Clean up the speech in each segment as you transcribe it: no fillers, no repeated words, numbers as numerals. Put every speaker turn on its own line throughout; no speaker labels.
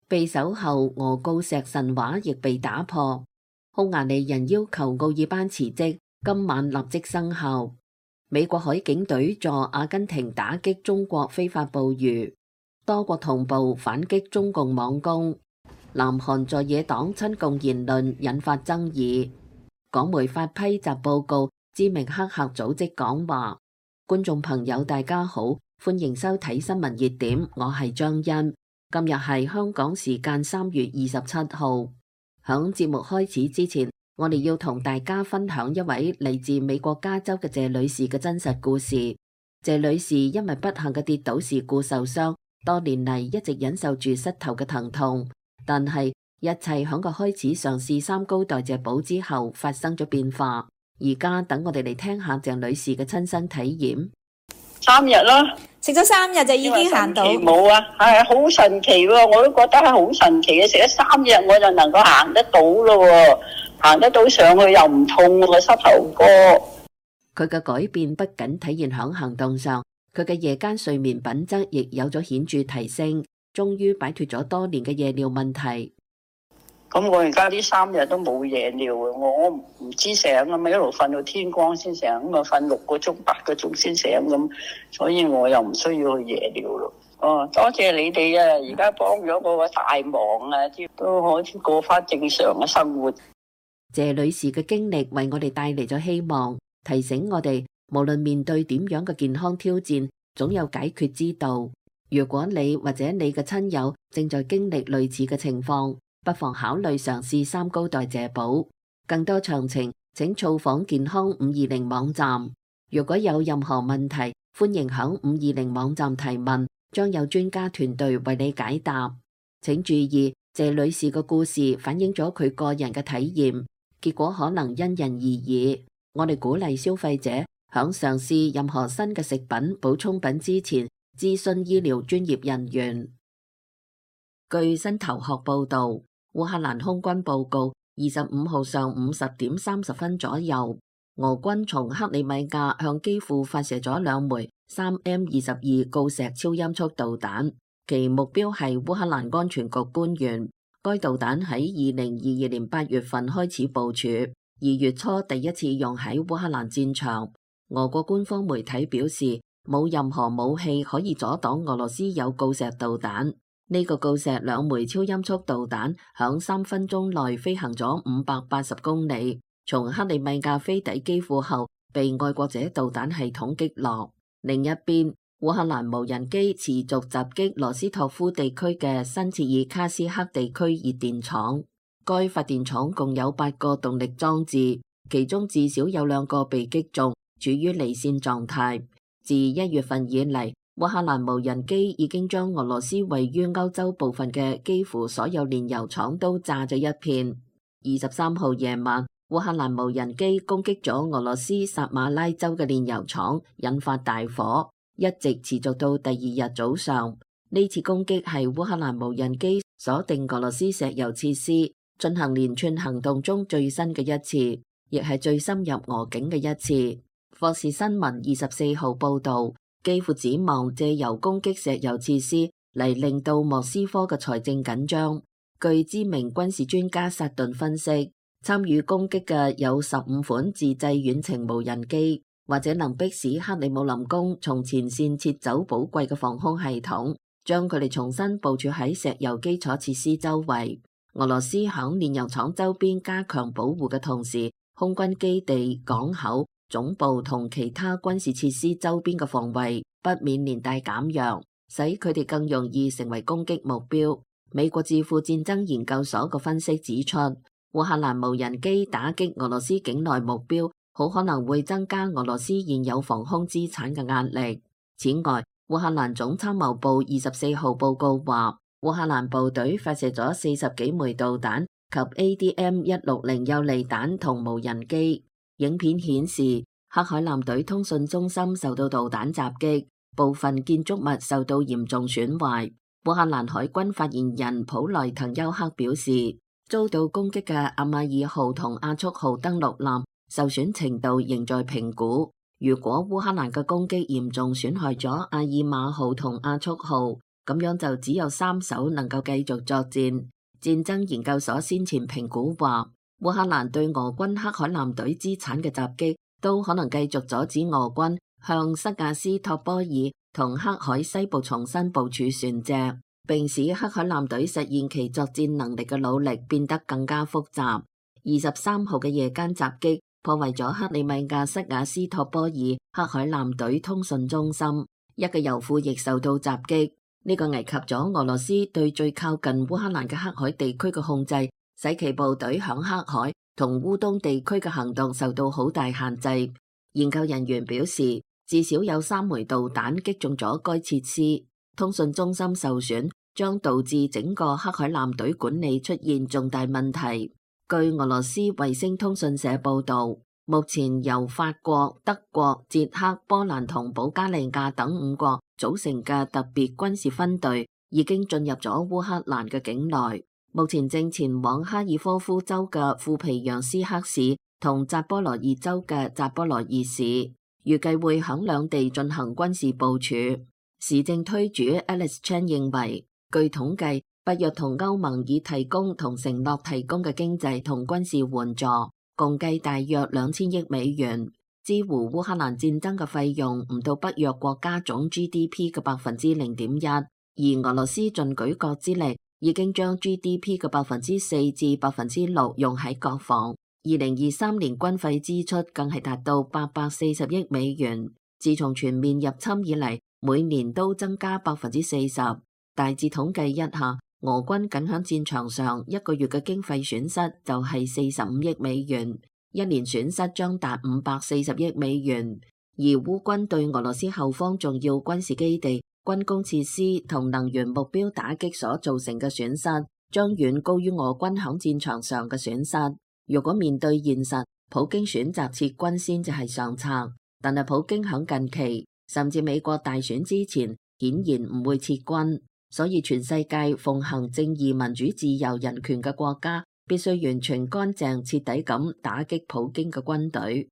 被守後俄鋯石神話亦被打破。匈牙利人要求奧爾班辭職，今晚立即生效。美國海警隊助阿根廷打擊中國非法捕魚，多國同步反擊中共網攻。南韓在野黨親共言論引發爭議。港媒發批集報告，知名黑客組織講話。觀眾朋友大家好，歡迎收睇新聞熱點，我係張欣。今日係香港時間3月27號。響節目開始之前，我哋要同大家分享一位嚟自美國加州嘅謝女士嘅真實故事。謝女士因為不幸嘅跌倒事故受傷，多年嚟一直忍受住膝頭嘅疼痛，但係一切響佢開始嘗試三高代謝寶之後發生咗變化。而家等我哋嚟聽下鄭女士嘅親身體驗。
3日啦，
食咗3日就已經行到。
冇啊，係好神奇喎！我都覺得係好神奇嘅，食咗3日我就能夠行得到咯，行得到上去又唔痛個膝頭哥。
佢嘅改變不僅體現響行動上，佢嘅夜間睡眠品質亦有咗顯著提升，終於擺脫咗多年嘅夜尿問題。
咁我而家呢3日都冇夜尿啊！我唔知醒啊嘛，一路瞓到天光先醒，咁啊瞓6個鐘、8個鐘先醒咁，所以我又唔需要去夜尿咯。哦，多謝你哋啊！而家幫咗我個大忙啊，都可以過翻正常嘅生活。
謝女士嘅經歷為我哋帶嚟咗希望，提醒我哋無論面對點樣嘅健康挑戰，總有解決之道。如果你或者你嘅親友正在經歷類似嘅情況，不妨考慮嘗試三高代謝寶。更多詳情請造訪健康520網站。如果有任何問題，歡迎響520網站提問，將有專家團隊為你解答。請注意，謝女士嘅故事反映咗佢個人嘅體驗，結果可能因人而異。我哋鼓勵消費者響嘗試任何新嘅食品補充品之前，諮詢醫療專業人員。據新頭殼報道，烏克蘭空軍報告25號上午10點30分左右，俄軍從克里米亞向基輔發射咗2枚3M22鋯石超音速導彈，其目標係烏克蘭安全局官員。該導彈喺2022年8月份開始部署，2月初第一次用喺烏克蘭戰場。俄國官方媒體表示，冇任何武器可以阻擋俄羅斯有鋯石導彈。呢個鋯石2枚超音速導彈響3分鐘內飛行咗580公里，從克里米亞飛抵基輔後，被愛國者導彈系統擊落。另一邊，烏克蘭無人機持續襲擊羅斯托夫地區嘅新切爾卡斯克地區熱電廠。該發電廠共有8個動力裝置，其中至少有2個被擊中，處於離線狀態。自1月份以嚟，烏克蘭無人機已經將俄羅斯位於歐洲部分嘅幾乎所有煉油廠都炸咗一片。23號夜晚，烏克蘭無人機攻擊咗俄羅斯薩馬拉州嘅煉油廠，引發大火，一直持續到第2日早上。呢次攻擊係烏克蘭無人機鎖定俄羅斯石油設施，進行連串行動中最新嘅一次，亦係最深入俄境嘅一次。霍士新聞24號報道，幾乎指望借由攻擊石油設施嚟令到莫斯科嘅財政緊張。據知名軍事專家薩頓分析，參與攻擊嘅有15款自製遠程無人機，或者能迫使克里姆林宮從前線撤走寶貴嘅防空系統，將佢哋重新部署喺石油基礎設施周圍。俄羅斯響煉油廠周邊加強保護嘅同時，空軍基地、港口、總部同其他軍事設施周邊嘅防衛不免連帶減弱，使佢哋更容易成為攻擊目標。美國智庫戰爭研究所嘅分析指出，烏克蘭無人機打擊俄羅斯境內目標，好可能會增加俄羅斯現有防空資產嘅壓力。此外，烏克蘭總參謀部24號報告話，烏克蘭部隊發射咗40幾枚導彈及 ADM-160幼利彈同無人機。影片顯示，黑海艦隊通訊中心受到導彈襲擊，部分建築物受到嚴重損壞。烏克蘭海軍發言人普萊滕丘克表示，遭到攻擊嘅阿馬爾號同亞速號登陸艦受損程度仍在評估。如果烏克蘭嘅攻擊嚴重損害咗阿爾馬號同亞速號，咁樣就只有3艘能夠繼續作戰。戰爭研究所先前評估話，烏克蘭對俄軍黑海艦隊資產嘅襲擊都可能繼續阻止俄軍向塞瓦斯托波爾同黑海西部重新部署船隻，並使黑海艦隊實現其作戰能力嘅努力變得更加複雜。23號嘅夜間襲擊破壞咗克里米亞塞瓦斯托波爾黑海艦隊通訊中心，一個油庫亦受到襲擊。呢個危及咗俄羅斯對最靠近烏克蘭嘅黑海地區嘅控制，使其部隊響黑海同烏東地區嘅行動受到好大限制。研究人員表示，至少有3枚導彈擊中咗該設施，通訊中心受損將導致整個黑海艦隊管理出現重大問題。據俄羅斯衛星通訊社報導，目前由法國、德國、捷克、波蘭同保加利亞等5國組成嘅特別軍事分隊已經進入咗烏克蘭嘅境內，目前正前往哈爾科夫州嘅庫皮揚斯克市同扎波羅熱州嘅扎波羅熱市，預計會響兩地進行軍事部署。市政推主 Alice Chan 認為，據統計，北約同歐盟已提供同承諾提供嘅經濟同軍事援助，共計大約2000億美元，支援烏克蘭戰爭嘅費用唔到北約國家總 GDP 嘅0.1%，而俄羅斯盡舉國之力，已經將 GDP 嘅4%至6%用喺國防。2023年軍費支出更係達到840億美元，自從全面入侵以嚟，每年都增加40%。大致統計一下，俄軍僅響戰場上一個月嘅經費損失就係45億美元，一年損失將達540億美元。而烏軍對俄羅斯後方重要軍事基地、軍工設施同能源目標打擊所造成嘅損失，將遠高於俄軍響戰場上嘅損失。如果面對現實，普京選擇撤軍先至係上策，但係普京響近期甚至美國大選之前，顯然唔會撤軍。所以全世界奉行正義、民主、自由、人權嘅國家，必須完全乾淨、徹底咁打擊普京嘅軍隊。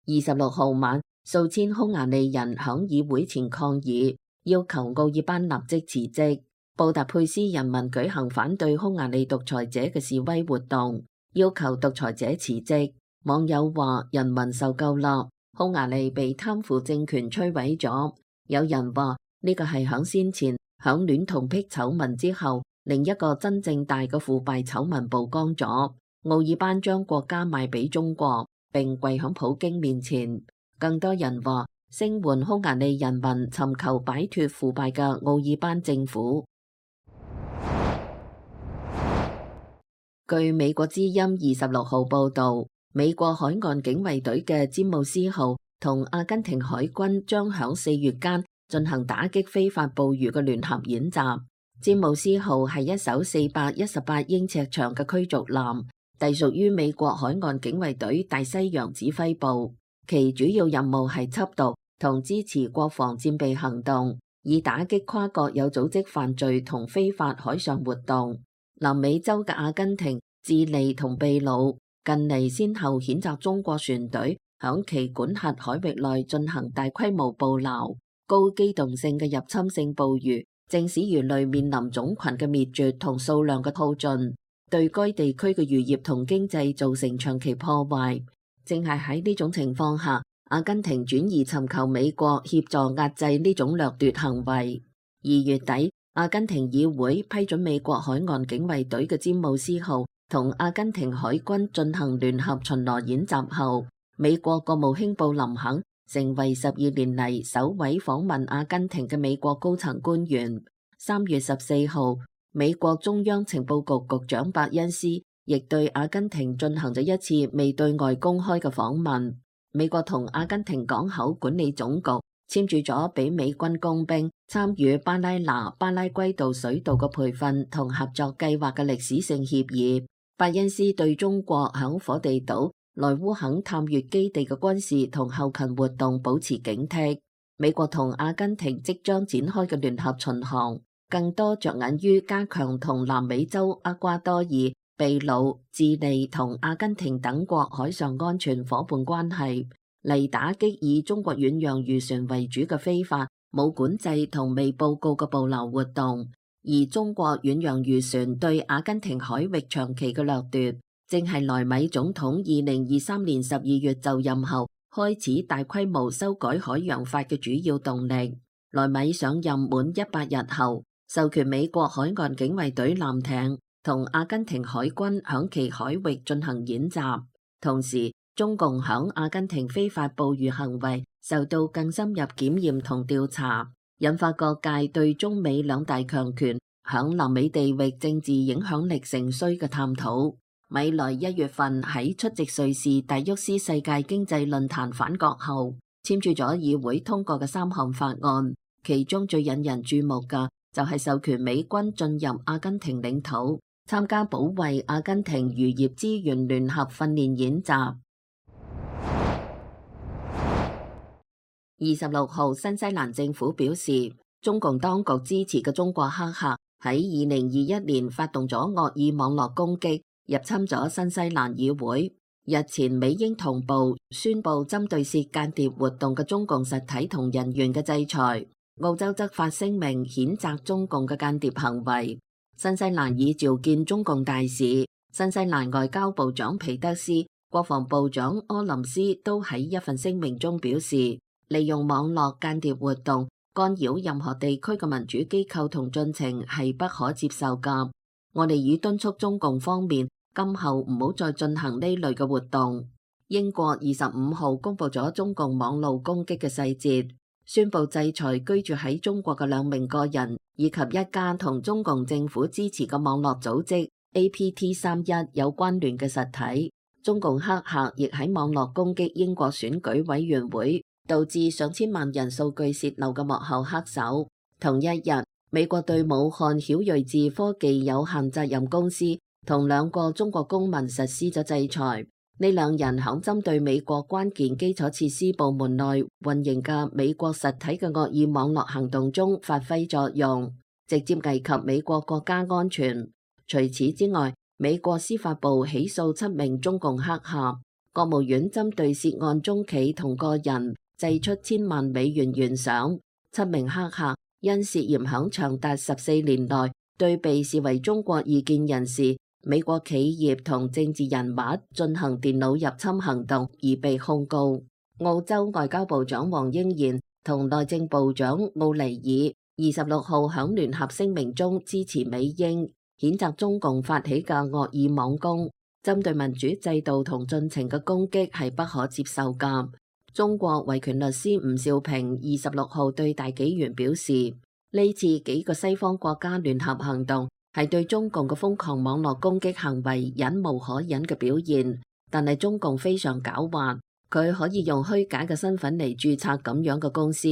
26號晚，數千匈牙利人響議會前抗議，要求奧爾班立即辭職。布達佩斯人民舉行反對匈牙利獨裁者嘅示威活動，要求獨裁者辭職。網友話：人民受夠啦，匈牙利被貪腐政權摧毀咗。有人話呢個係響先前響戀童癖醜聞之後，另一個真正大嘅腐敗醜聞曝光咗。奧爾班將國家賣俾中國，並跪響普京面前。更多人話聲援匈牙利人民尋求擺脫腐敗嘅奧爾班政府。據美國之音26號報導，美國海岸警衛隊嘅詹姆斯號同阿根廷海軍將響4月間進行打擊非法捕魚嘅聯合演習。詹姆斯號係一艘418英尺長嘅驅逐艦，隸屬於美國海岸警衛隊大西洋指揮部。其主要任務係緝毒同支持國防戰備行動，以打擊跨國有組織犯罪同非法海上活動。南美洲嘅阿根廷、智利同秘魯近嚟先後譴責中國船隊響其管轄海域內進行大規模捕撈、高機動性嘅入侵性捕魚，正使魚類面臨種群嘅滅絕同數量嘅耗盡，對該地區嘅漁業同經濟造成長期破壞。正係喺呢種情況下，阿根廷轉而尋求美國協助壓制呢種掠奪行為。2月底，阿根廷議會批准美國海岸警衛隊嘅詹姆斯號同阿根廷海軍進行聯合巡邏演習後，美國國務卿布林肯成為12年嚟首位訪問阿根廷嘅美國高層官員。3月14號，美國中央情報局局長伯恩斯亦對阿根廷進行咗一次未對外公開嘅訪問。美國同阿根廷港口管理總局簽署咗俾美軍工兵參與巴拉那、巴拉圭道水道嘅培訓同合作計劃嘅歷史性協議。伯恩斯對中國響火地島、萊烏肯探月基地嘅軍事同後勤活動保持警惕。美國同阿根廷即將展開嘅聯合巡航，更多着眼於加強同南美洲厄瓜多爾、秘魯、智利同阿根廷等國海上安全夥伴關係。嚟打擊以中國遠洋漁船為主嘅非法、冇管制同未報告嘅捕撈活動。而中國遠洋漁船對阿根廷海域長期嘅掠奪，正係萊米總統2023年12月就任後開始大規模修改海洋法嘅主要動力。萊米上任滿100日後，授權美國海岸警衛隊艦艇同阿根廷海軍響其海域進行演習，同時中共響阿根廷非法捕魚行為受到更深入檢驗同調查，引發各界對中美兩大強權響南美地域政治影響力成衰嘅探討。米萊1月份喺出席瑞士達沃斯世界經濟論壇返國後，簽署咗議會通過嘅3項法案，其中最引人注目嘅就係授權美軍進入阿根廷領土，參加保衛阿根廷漁業資源聯合訓練演習。26號，新西蘭政府表示，中共當局支持嘅中國黑客喺2021年發動咗惡意網絡攻擊，入侵咗新西蘭議會。日前，美英同步宣布針對涉間諜活動嘅中共實體同人員嘅制裁。澳洲則發聲明譴責中共嘅間諜行為。新西蘭已召見中共大使，新西蘭外交部長皮德斯、國防部長柯林斯都喺一份聲明中表示，利用網絡間諜活動干擾任何地區嘅民主機構同進程係不可接受㗎。我哋已敦促中共方面今後唔好再進行呢類嘅活動。英國25號公布咗中共網路攻擊嘅細節，宣布制裁居住喺中國嘅2名個人以及一家同中共政府支持嘅網絡組織 APT31 有關聯嘅實體。中共黑客亦喺網絡攻擊英國選舉委員會，導致上千萬人數據洩漏嘅幕後黑手。同一日，美國對武漢曉睿智科技有限責任公司同2個中國公民實施咗制裁。呢2人響針對美國關鍵基礎設施部門內運營嘅美國實體嘅惡意網絡行動中發揮作用，直接危及美國國家安全。除此之外，美國司法部起訴7名中共黑客，國務院針對涉案中企同個人祭出1000萬美元懸賞。7名黑客因涉嫌響長達14年內對被視為中國異見人士、美國企業同政治人物進行電腦入侵行動而被控告。澳洲外交部長黃英賢同內政部長奧尼爾26號響聯合聲明中支持美英，譴責中共發起嘅惡意網攻，針對民主制度同進程嘅攻擊係不可接受㗎。中國維權律師吳兆平26號對大紀元表示，呢次幾個西方國家聯合行動係對中共嘅瘋狂網絡攻擊行為忍無可忍嘅表現，但係中共非常狡猾，佢可以用虛假嘅身份嚟註冊咁樣嘅公司。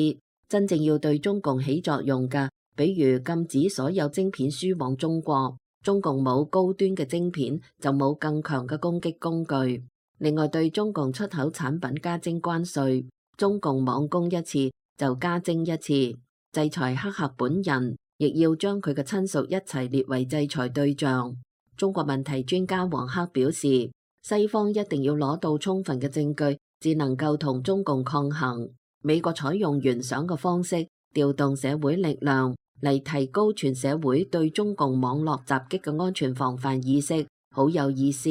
真正要對中共起作用嘅，比如禁止所有晶片輸往中國，中共冇高端嘅晶片就冇更強嘅攻擊工具。另外，對中共出口產品加徵關稅，中共網攻一次就加徵一次。制裁黑客本人，亦要將佢嘅親屬一齊列為制裁對象。中國問題專家黃克表示，西方一定要攞到充分嘅證據，至能夠同中共抗衡。美國採用懸賞嘅方式調動社會力量嚟提高全社會對中共網絡襲擊嘅安全防範意識，好有意思。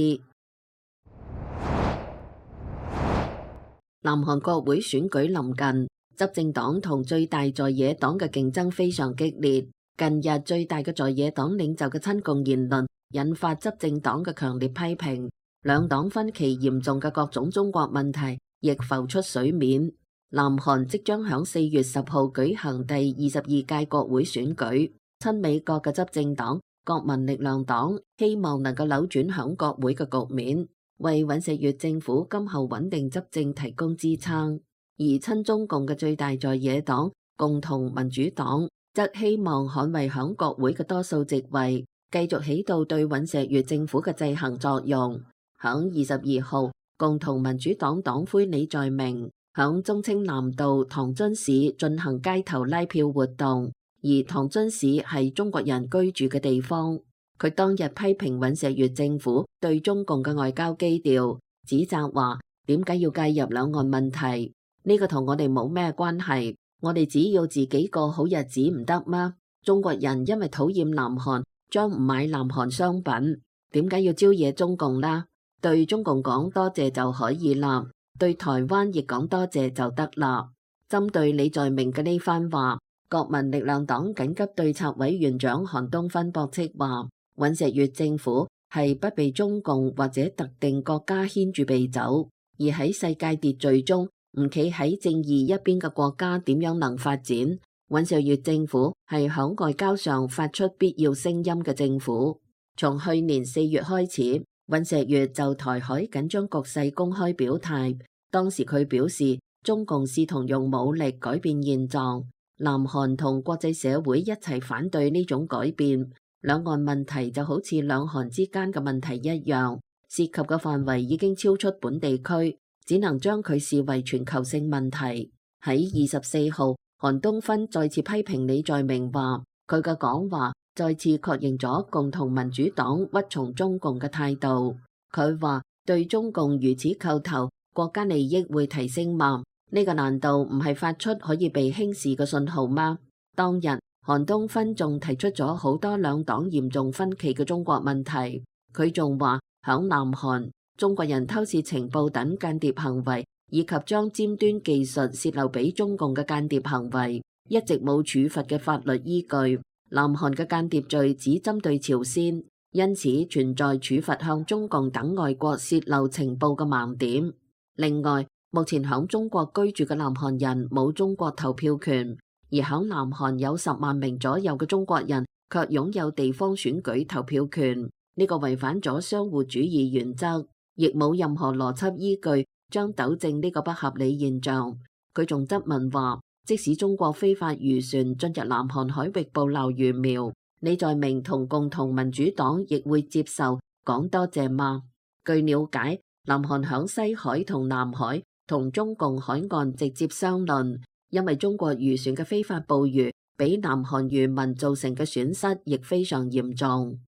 南韓國會選舉臨近，執政黨同最大在野黨嘅競爭非常激烈。近日最大嘅在野黨領袖嘅親共言論引發執政黨嘅強烈批評，兩黨分歧嚴重嘅各種中國問題亦浮出水面。南韓即將響4月10號舉行第22屆國會選舉，親美國嘅執政黨國民力量黨希望能夠扭轉響國會嘅局面，為尹錫悅政府今後穩定執政提供支撐。而親中共嘅最大在野黨共同民主黨則希望捍衛響國會嘅多數席位，繼續起到對尹錫悅政府嘅制衡作用。響22號，共同民主黨黨魁李在明響忠清南道唐津市進行街頭拉票活動，而唐津市係中國人居住嘅地方。佢當日批評尹錫悅政府對中共嘅外交基調，指責話點解要介入兩岸問題？呢個同我哋冇咩關係，我哋只要自己過好日子唔得嗎？中國人因為討厭南韓，將唔買南韓商品，點解要招惹中共啦？對中共講多謝就可以啦，對台灣亦講多謝就得啦。針對李在明嘅呢番話，國民力量黨緊急對策委員長韓東勳駁斥話，尹錫悅政府係不被中共或者特定國家牽住鼻走，而喺世界秩序中唔企喺正義一邊嘅國家點樣能發展？尹錫悅政府係響外交上發出必要聲音嘅政府。從去年4月開始，尹錫悅就台海緊張局勢公開表態，當時佢表示中共試圖用武力改變現狀，南韓同國際社會一齊反對呢種改變。兩岸問題就好似兩韓之間嘅問題一樣，涉及嘅範圍已經超出本地區，只能將佢視為全球性問題。喺24號，韓東勳再次批評李在明話，佢嘅講話再次確認咗共同民主黨屈從中共嘅態度。佢話對中共如此叩頭，國家利益會提升嗎？呢個難道唔係發出可以被輕視嘅信號嗎？當日韓東勳仲提出咗好多兩黨嚴重分歧嘅中國問題，佢仲話響南韓中國人偷竊情報等間諜行為，以及將尖端技術洩漏俾中共嘅間諜行為，一直冇處罰嘅法律依據。南韓嘅間諜罪只針對朝鮮，因此存在處罰向中共等外國洩漏情報嘅盲點。另外，目前響中國居住嘅南韓人冇中國投票權，而響南韓有10萬名左右嘅中國人卻擁有地方選舉投票權，呢個違反咗相互主義原則，亦冇任何邏輯依據將糾正呢個不合理現象。佢仲質問話，即使中國非法漁船進入南韓海域捕撈魚苗，李在明同共同民主黨亦會接受講多謝嗎？據了解，南韓響西海同南海同中共海岸直接相鄰，因為中國漁船嘅非法捕魚，俾南韓漁民造成嘅損失亦非常嚴重。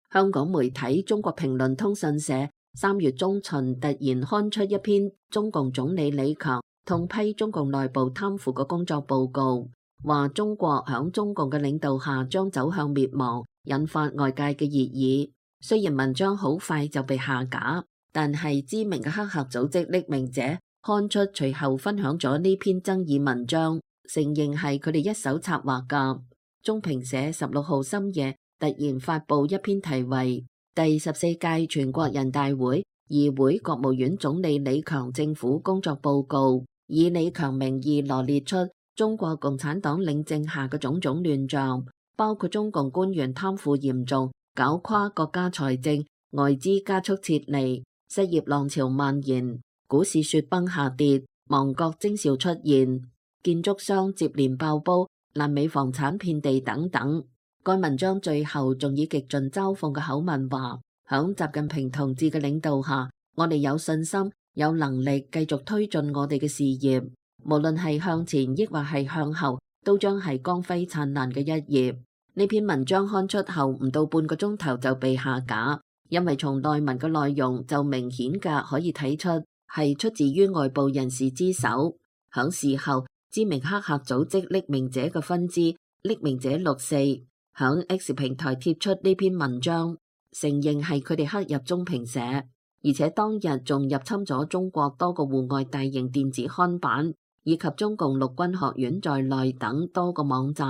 香港媒體中國評論通訊社3月中旬突然刊出一篇中共總理李強痛批中共內部貪腐嘅工作報告，話中國響中共嘅領導下將走向滅亡，引發外界嘅熱議。雖然文章好快就被下架，但係知名嘅黑客組織匿名者刊出隨後分享咗呢篇爭議文章，承認係佢哋一手策劃㗎。中評社16號深夜突然發布一篇題為第14屆全國人大會議會國務院總理李強政府工作報告，以李強名義羅列出中國共產黨領政下嘅種種亂象，包括中共官員貪腐嚴重，搞垮國家財政，外資加速撤離，失業浪潮蔓延，股市雪崩下跌，亡國徵兆出現，建築商接連爆煲，爛尾房產遍地等等。該文章最後仲以極盡嘲諷嘅口吻話，響習近平同志嘅領導下，我哋有信心、有能力繼續推進我哋嘅事業，無論係向前抑或係向後，都將係光輝燦爛嘅一頁。呢篇文章刊出後唔到半個鐘頭就被下架，因為從內文嘅內容就明顯嘅可以睇出係出自於外部人士之手。響事後，知名黑客組織匿名者嘅分支匿名者64響 X 平台貼出呢篇文章，承認係佢哋黑入中評社，而且當日仲入侵咗中國多個戶外大型電子刊版以及中共陸軍學院在內等多個網站。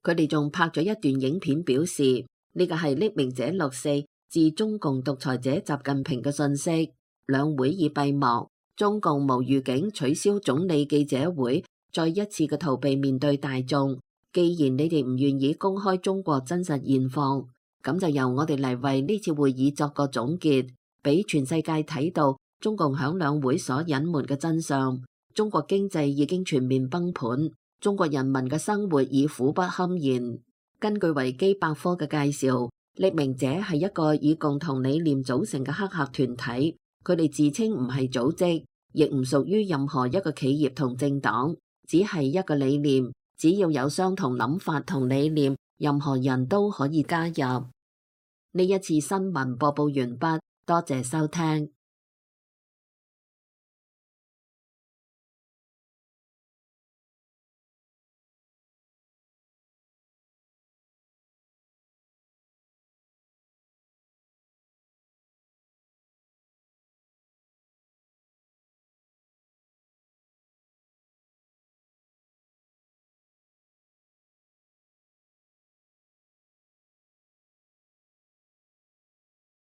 佢哋仲拍咗一段影片，表示呢個係匿名者64致中共獨裁者習近平嘅信息。兩會已閉幕，中共無預警取消總理記者會，再一次嘅逃避面對大眾。既然你哋唔願意公開中國真實現況，咁就由我哋嚟為呢次會議作個總結，俾全世界睇到中共響兩會所隱瞞嘅真相。中國經濟已經全面崩盤，中國人民嘅生活已苦不堪言。根據維基百科嘅介紹，匿名者係一個以共同理念組成嘅黑客團體，佢哋自稱唔係組織，亦唔屬於任何一個企業同政黨，只係一個理念，只要有相同諗法同理念，任何人都可以加入。呢一次新聞播報完畢，多謝收聽。